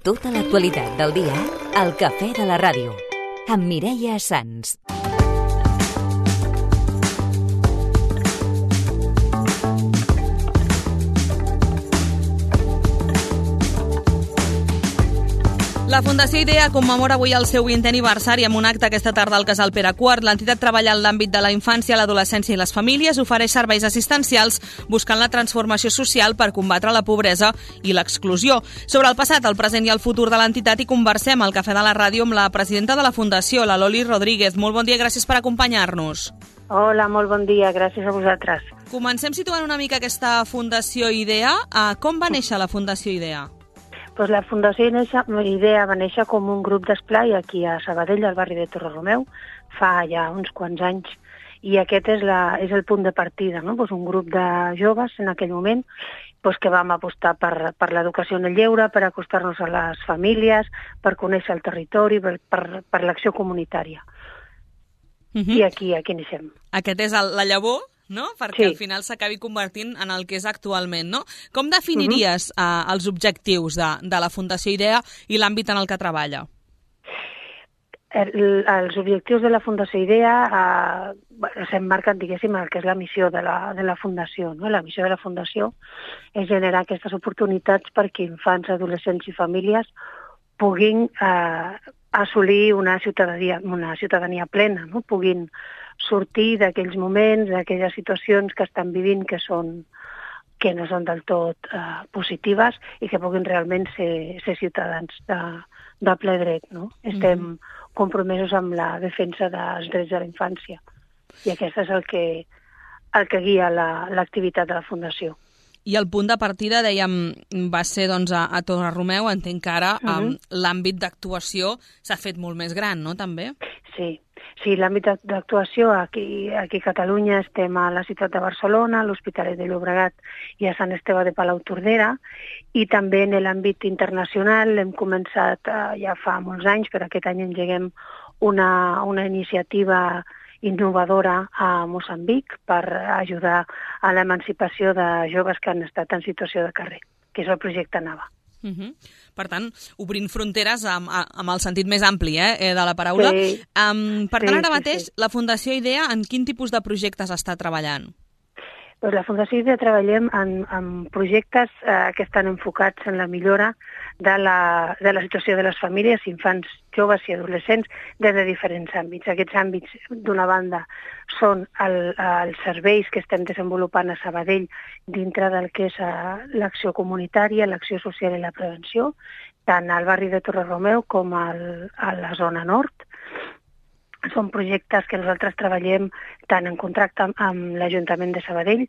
Tota l'actualitat del dia al Cafè de la Ràdio, amb Mireia Sans. La Fundació IDEA commemora avui el seu 20è aniversari amb un acte aquesta tarda al Casal Pere IV. L'entitat treballa en l'àmbit de la infància, l'adolescència i les famílies, ofereix serveis assistencials buscant la transformació social per combatre la pobresa i l'exclusió. Sobre el passat, el present i el futur de l'entitat hi conversem al Cafè de la Ràdio amb la presidenta de la Fundació, la Loli Rodríguez. Molt bon dia, gràcies per acompanyar-nos. Hola, molt bon dia, gràcies a vosaltres. Comencem situant una mica aquesta Fundació IDEA. Com va néixer la Fundació IDEA? Pues la Fundació IDEA va néixer com un grup d'esplai aquí a Sabadell, al barri de Torredromeu, fa ja uns quants anys, i aquest és el punt de partida, no? Pues un grup de joves en aquell moment que vam apostar per l'educació en el lleure, per acostar-nos a les famílies, per conèixer el territori, per l'acció comunitària. I aquí neixem. Aquest és la llavor, no? Perquè sí. Al final s'acabi convertint en el que és actualment, no? Com definiries els objectius de la Fundació IDEA i l'àmbit en el que treballa? Els objectius de la Fundació IDEA s'emmarquen, diguéssim, el que és la missió de la Fundació, no? La missió de la Fundació és generar aquestes oportunitats perquè infants, adolescents i famílies puguin assolir una ciutadania plena, no? Puguin sortir d'aquells moments, d'aquelles situacions que estan vivint que no són del tot positives i que puguin realment ser ciutadans de ple dret, no? Estem compromesos amb la defensa dels drets de la infància i aquest és el que guia l'activitat de la Fundació. I el punt de partida, dèiem, va ser doncs, a Torredromeu. Entenc que ara l'àmbit d'actuació s'ha fet molt més gran, no, també? Sí, l'àmbit d'actuació aquí a Catalunya estem a la ciutat de Barcelona, a l'Hospitalet de Llobregat i a Sant Esteve de Palautordera, i també en l'àmbit internacional hem començat ja fa molts anys, però aquest any engeguem una iniciativa innovadora a Moçambic per ajudar a l'emancipació de joves que han estat en situació de carrer, que és el projecte NAVA. Per tant, obrint fronteres amb el sentit més ampli de la paraula. Sí. Per tant, ara mateix, la Fundació IDEA en quin tipus de projectes està treballant? Doncs la Fundació IDEA treballem en projectes que estan enfocats en la millora de la situació de les famílies, infants, joves i adolescents des de diferents àmbits. Aquests àmbits, d'una banda, són els serveis que estem desenvolupant a Sabadell dintre del que és l'acció comunitària, l'acció social i la prevenció, tant al barri de Torredromeu com a la zona nord. Són projectes que nosaltres treballem tant en contracte amb l'Ajuntament de Sabadell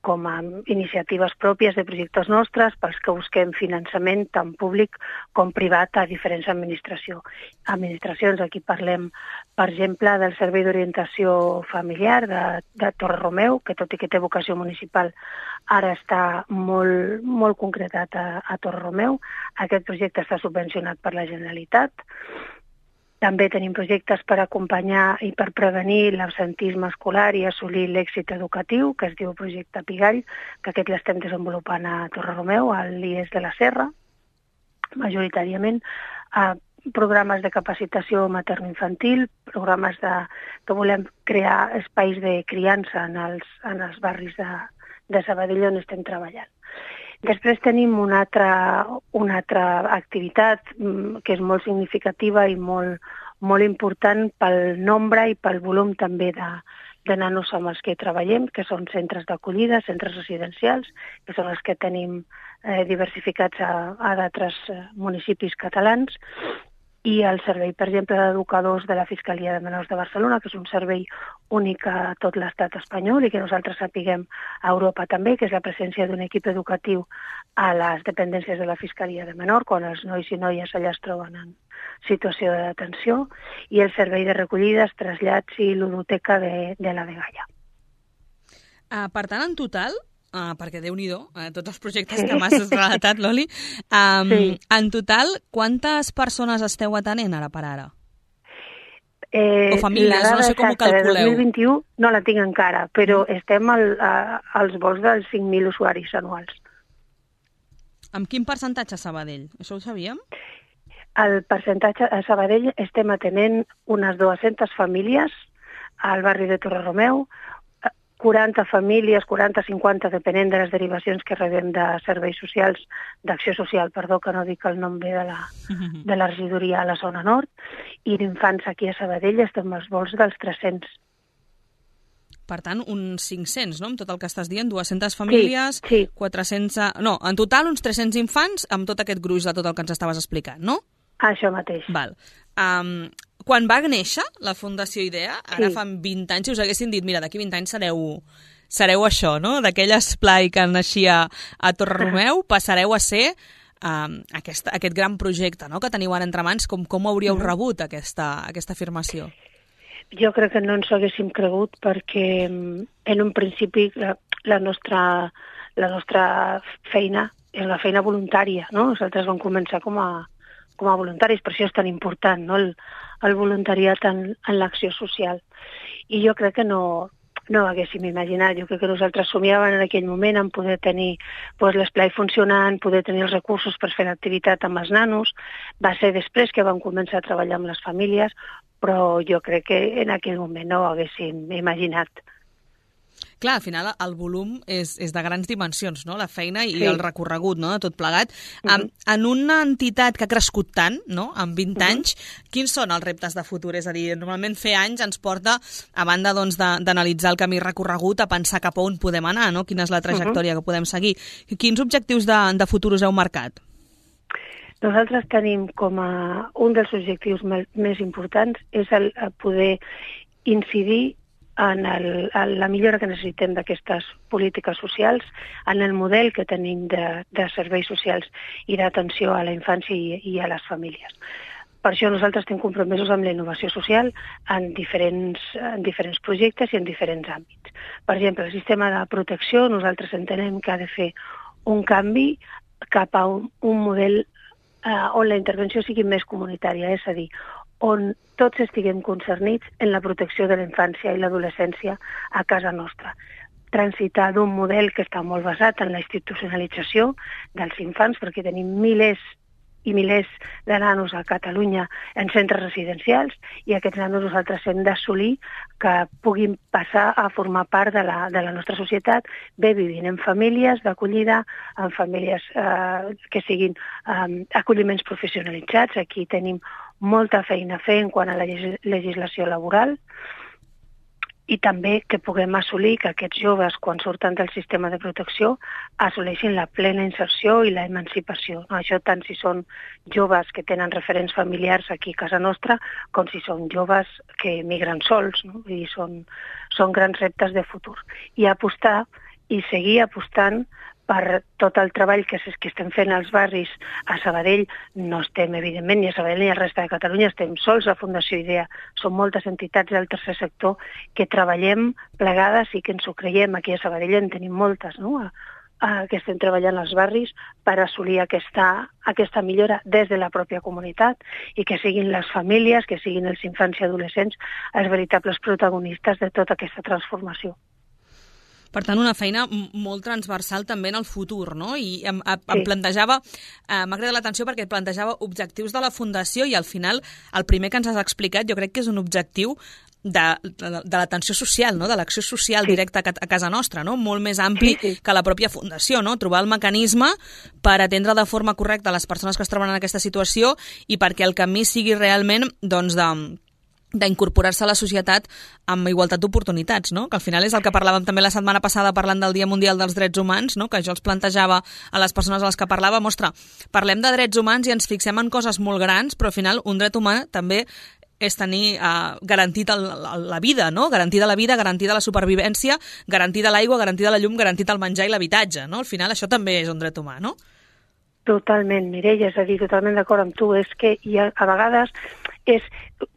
com amb iniciatives pròpies de projectes nostres pels que busquem finançament tant públic com privat a diferents administracions. Aquí parlem, per exemple, del Servei d'Orientació Familiar de Torredromeu, que tot i que té vocació municipal ara està molt concretat a Torredromeu. Aquest projecte està subvencionat per la Generalitat. També tenim projectes per acompanyar i per prevenir l'absentisme escolar i assolir l'èxit educatiu, que es diu Projecte Pigall, que aquest l'estem desenvolupant a Torredromeu, a l'IES de la Serra, majoritàriament. Programes de capacitació materno-infantil, programes que volem crear espais de criança en els barris de Sabadell on estem treballant. Després tenim una altra activitat que és molt significativa i molt important pel nombre i pel volum també de nanos amb els que treballem, que són centres d'acollida, centres residencials, que són els que tenim diversificats a d'altres municipis catalans, i el servei, per exemple, d'educadors de la Fiscalia de Menors de Barcelona, que és un servei únic a tot l'estat espanyol i que nosaltres sapiguem a Europa també, que és la presència d'un equip educatiu a les dependències de la Fiscalia de Menor, quan els nois i noies allà es troben en situació de detenció, i el servei de recollides, trasllats i ludoteca de la Dgaia. Per tant, en total, perquè Déu-n'hi-do, tots els projectes que m'has relatat, Loli, en total, quantes persones esteu atenent ara per ara? O famílies, no sé com ho calculeu. El 2021 no la tinc encara, però estem als volts dels 5.000 usuaris anuals. Amb quin percentatge a Sabadell? Això ho sabíem? El percentatge a Sabadell estem atenent unes 200 famílies al barri de Torre-Romeu, 40 famílies, 40-50, depenent de les derivacions que rebem de serveis socials, d'acció social, perdó, que no dic el nom bé de la regidoria a la zona nord, i d'infants aquí a Sabadell estem als volts dels 300. Per tant, uns 500, no?, amb tot el que estàs dient, 200 famílies, sí. 400... No, en total uns 300 infants amb tot aquest gruix de tot el que ens estaves explicant, no? Això mateix. Val. Quan va néixer la Fundació IDEA, ara fa 20 anys, si us haguessin dit, mira, d'aquí 20 anys sereu això, no?, d'aquell esplai que naixia a Torre-Romeu, passareu a ser aquest gran projecte, no?, que teniu ara entre mans. Com hauríeu rebut aquesta afirmació? Jo crec que no ens ho haguéssim cregut perquè en un principi la nostra feina és una feina voluntària, no? Nosaltres vam començar com a voluntaris, per això és tan important, no?, el voluntariat en l'acció social. I jo crec que no ho haguéssim imaginat. Jo crec que nosaltres somiàvem en aquell moment en poder tenir l'esplai funcionant, poder tenir els recursos per fer l'activitat amb els nanos. Va ser després que vam començar a treballar amb les famílies, però jo crec que en aquell moment no ho haguéssim imaginat. Clar, al final el volum és de grans dimensions, no?, la feina i el recorregut, no?, de tot plegat. En una entitat que ha crescut tant, no?, en 20 anys, quins són els reptes de futur? És a dir, normalment fer anys ens porta, a banda doncs, d'analitzar el camí recorregut, a pensar cap a on podem anar, no?, quina és la trajectòria que podem seguir. Quins objectius de futur us heu marcat? Nosaltres tenim com a un dels objectius més importants és el poder incidir en la millora que necessitem d'aquestes polítiques socials, en el model que tenim de serveis socials i d'atenció a la infància i a les famílies. Per això nosaltres estem compromesos amb la innovació social en diferents projectes i en diferents àmbits. Per exemple, el sistema de protecció, nosaltres entenem que ha de fer un canvi cap a un model on la intervenció sigui més comunitària, és a dir, on tots estiguem concernits en la protecció de la infància i l'adolescència a casa nostra. Transitar d'un model que està molt basat en la institucionalització dels infants, perquè tenim milers i milers de nanos a Catalunya en centres residencials, i aquests nanos nosaltres hem d'assolir que puguin passar a formar part de la nostra societat, bé vivint en famílies d'acollida, en famílies que siguin acolliments professionalitzats. Aquí tenim molta feina a fer en quant a la legislació laboral, i també que puguem assolir que aquests joves, quan surten del sistema de protecció, assoleixin la plena inserció i la emancipació. Això tant si són joves que tenen referents familiars aquí a casa nostra, com si són joves que migren sols, no? I són grans reptes de futur. I apostar i seguir apostant per tot el treball que estem fent als barris. A Sabadell no estem, evidentment, ni a Sabadell ni a la resta de Catalunya, estem sols a Fundació IDEA. Són moltes entitats del tercer sector que treballem plegades i que ens ho creiem. Aquí a Sabadell en tenim moltes, no?, que estem treballant als barris per assolir aquesta millora des de la pròpia comunitat i que siguin les famílies, que siguin els infants i adolescents els veritables protagonistes de tota aquesta transformació. Per tant, una feina molt transversal també en el futur, no? I em plantejava, m'ha cridat l'atenció perquè plantejava objectius de la Fundació i al final el primer que ens has explicat jo crec que és un objectiu de l'atenció social, no?, de l'acció social directa a casa nostra, no?, molt més ampli que la pròpia Fundació, no?, trobar el mecanisme per atendre de forma correcta les persones que es troben en aquesta situació i perquè el camí sigui realment, doncs, d'incorporar-se a la societat amb igualtat d'oportunitats, no?, que al final és el que parlàvem també la setmana passada parlant del Dia Mundial dels Drets Humans, no?, que jo els plantejava a les persones a les que parlàvem, parlem de drets humans i ens fixem en coses molt grans, però al final un dret humà també és tenir garantit la vida, no?, garantida la vida, garantida la supervivència, garantida l'aigua, garantida la llum, garantit el menjar i l'habitatge, no?, al final això també és un dret humà, no? Totalment, Mireia, és a dir, totalment d'acord amb tu. És que a vegades és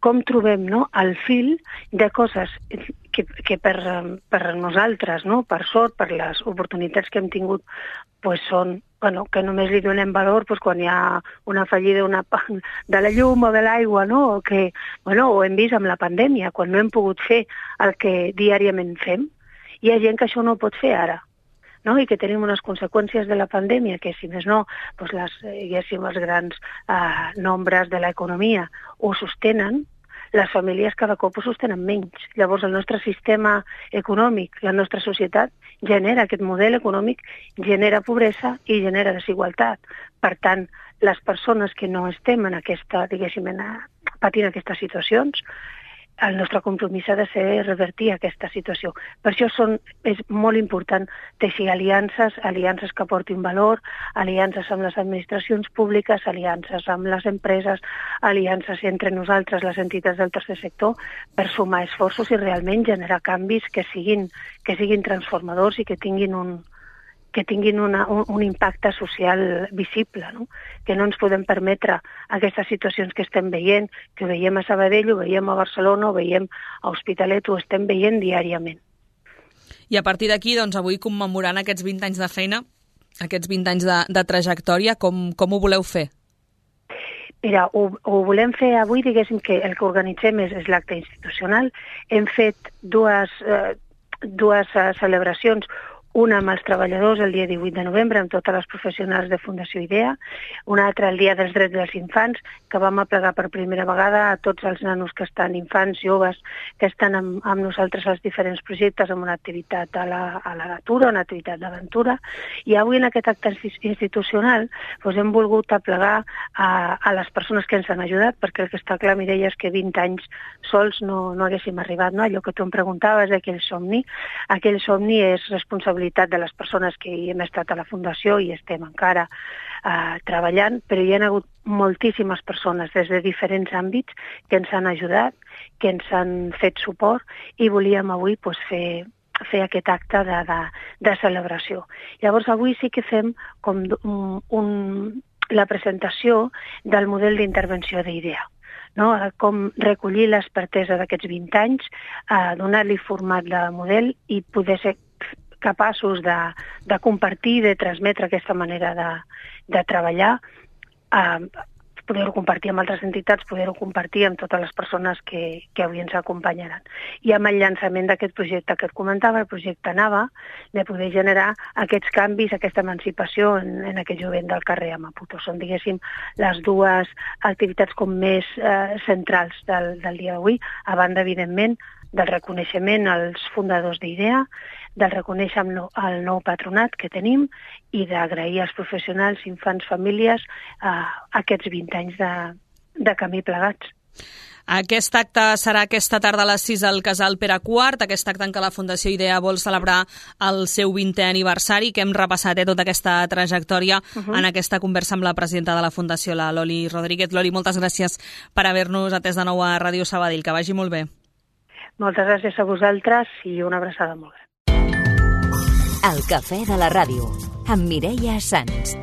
com trobem, no?, el fil de coses que per nosaltres, no?, per sort, per les oportunitats que hem tingut, pues són, que només li donem valor quan hi ha una fallida de la llum o de l'aigua, no?, o que, ho hem vist amb la pandèmia, quan no hem pogut fer el que diàriament fem. Hi ha gent que això no ho pot fer ara. no? I que tenim unes conseqüències de la pandèmia que, si més no, doncs els grans nombres de l'economia ho sostenen, les famílies cada cop ho sostenen menys. Llavors, el nostre sistema econòmic, la nostra societat, genera aquest model econòmic, genera pobresa i genera desigualtat. Per tant, les persones que no estem en aquesta, diguéssim, patint aquestes situacions, el nostre compromís ha de ser revertir aquesta situació. Per això és molt important teixir aliances que aportin valor, aliances amb les administracions públiques, aliances amb les empreses, aliances entre nosaltres, les entitats del tercer sector, per sumar esforços i realment generar canvis que siguin transformadors i que tinguin un impacte social visible, no? Que no ens podem permetre aquestes situacions que estem veient, que ho veiem a Sabadell, ho veiem a Barcelona, ho veiem a Hospitalet, ho estem veient diàriament. I a partir d'aquí, doncs, avui commemorant aquests 20 anys de feina, aquests 20 anys de trajectòria, com ho voleu fer? Mira, ho volem fer avui, diguéssim que el que organitzem és l'acte institucional. Hem fet dues celebracions, una amb els treballadors el dia 18 de novembre, amb totes les professionals de Fundació IDEA, una altra el dia dels drets dels infants, que vam aplegar per primera vegada a tots els nanos que estan, infants, joves, que estan amb nosaltres als diferents projectes, amb una activitat a la natura, una activitat d'aventura, i avui en aquest acte institucional hem volgut aplegar a les persones que ens han ajudat, perquè el que està clar, Mireia, és que 20 anys sols no haguéssim arribat, no? Allò que tu em preguntaves d'aquell somni és responsabilitat de les persones que hi hem estat a la Fundació i estem encara treballant, però hi ha hagut moltíssimes persones des de diferents àmbits que ens han ajudat, que ens han fet suport i volíem avui fer aquest acte de celebració. Llavors avui sí que fem com la presentació del model d'intervenció d'IDEA. No? Com recollir l'expertesa d'aquests 20 anys, donar-li format de model i poder ser capaços de compartir, de transmetre aquesta manera de treballar, poder-ho compartir amb altres entitats, poder-ho compartir amb totes les persones que avui ens acompanyaran. I amb el llançament d'aquest projecte que et comentava, el projecte Nava, de poder generar aquests canvis, aquesta emancipació en aquest jovent del carrer a Maputo. Són, diguéssim, les dues activitats com més centrals del dia d'avui, a banda, evidentment, del reconeixement als fundadors d'IDEA, del reconèixer el nou patronat que tenim i d'agrair als professionals, infants, famílies, aquests 20 anys de camí plegats. Aquest acte serà aquesta tarda a les 6 al Casal Pere IV, aquest acte en què la Fundació IDEA vol celebrar el seu 20è aniversari, que hem repassat tota aquesta trajectòria en aquesta conversa amb la presidenta de la Fundació, la Loli Rodríguez. Loli, moltes gràcies per haver-nos atès de nou a Ràdio Sabadell. Que vagi molt bé. Moltes gràcies a vosaltres i una abraçada molt gran. El Cafè de la Ràdio, amb Mireia Sans.